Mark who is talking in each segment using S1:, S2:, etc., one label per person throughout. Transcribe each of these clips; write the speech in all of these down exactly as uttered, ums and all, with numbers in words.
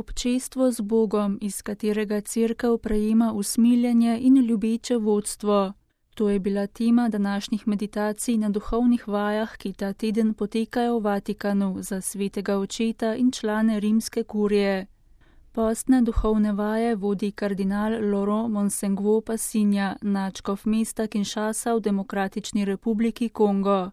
S1: Občestvo z Bogom, iz katerega Cerkev prejema usmiljenje in ljubeče vodstvo. To je bila tema današnjih meditacij na duhovnih vajah, ki ta teden potekajo v Vatikanu za svetega očeta in člane rimske kurije. Postne duhovne vaje vodi kardinal Laurent Monsengwo Passinja, nadškof mesta Kinshasa v Demokratični republiki Kongo.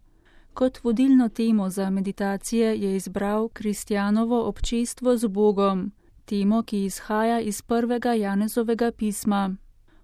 S1: Kot vodilno temo za meditacije je izbral kristjanovo občestvo z Bogom, temo, ki izhaja iz prvega Janezovega pisma.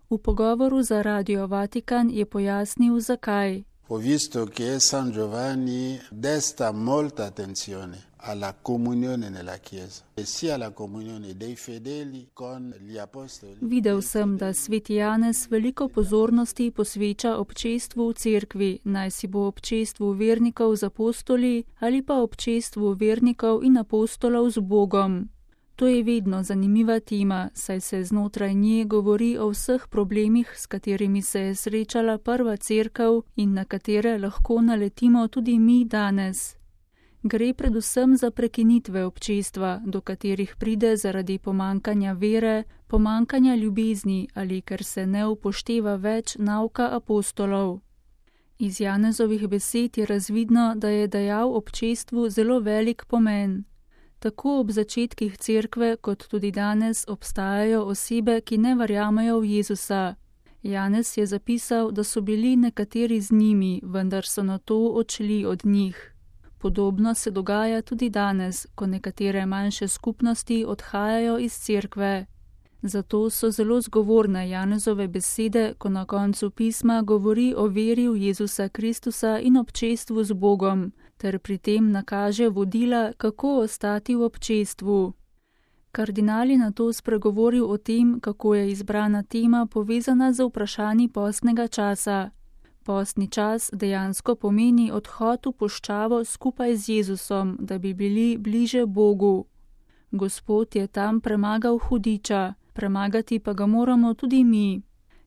S1: V pogovoru za Radio Vatikan je pojasnil, zakaj.
S2: Ho visto che San Giovanni desta molta attenzione alla comunione nella Chiesa, e sia alla comunione dei fedeli con gli apostoli.
S1: Videl sem, da sveti Janez veliko pozornosti posveča občestvu v cerkvi, naj si bo občestvu vernikov z apostoli ali pa občestvu vernikov in apostolov z Bogom. To je vedno zanimiva tema, saj se znotraj nje govori o vseh problemih, s katerimi se je srečala prva cerkev in na katere lahko naletimo tudi mi danes. Gre predvsem za prekinitve občestva, do katerih pride zaradi pomankanja vere, pomankanja ljubezni ali ker se ne upošteva več nauka apostolov. Iz Janezovih besed je razvidno, da je dajal občestvu zelo velik pomen. Tako ob začetkih cerkve, kot tudi danes, obstajajo osebe, ki ne verjamejo v Jezusa. Janez je zapisal, da so bili nekateri z njimi, vendar so nato odšli od njih. Podobno se dogaja tudi danes, ko nekatere manjše skupnosti odhajajo iz cerkve. Zato so zelo zgovorne Janezove besede, ko na koncu pisma govori o veri v Jezusa Kristusa in občestvu z Bogom, ter pri tem nakaže vodila, kako ostati v občestvu. Kardinal je nato spregovoril o tem, kako je izbrana tema povezana z vprašanji postnega časa. Postni čas dejansko pomeni odhod v puščavo skupaj z Jezusom, da bi bili bliže Bogu. Gospod je tam premagal hudiča, premagati pa ga moramo tudi mi.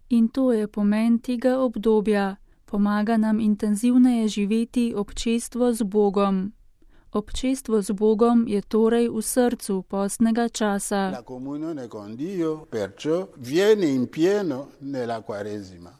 S1: In to je pomen tega obdobja. Pomaga nam intenzivneje živeti občestvo z Bogom. Občestvo z Bogom je torej v srcu postnega časa.
S2: La comunione con Dio, perciò, viene in pieno nella Quaresima.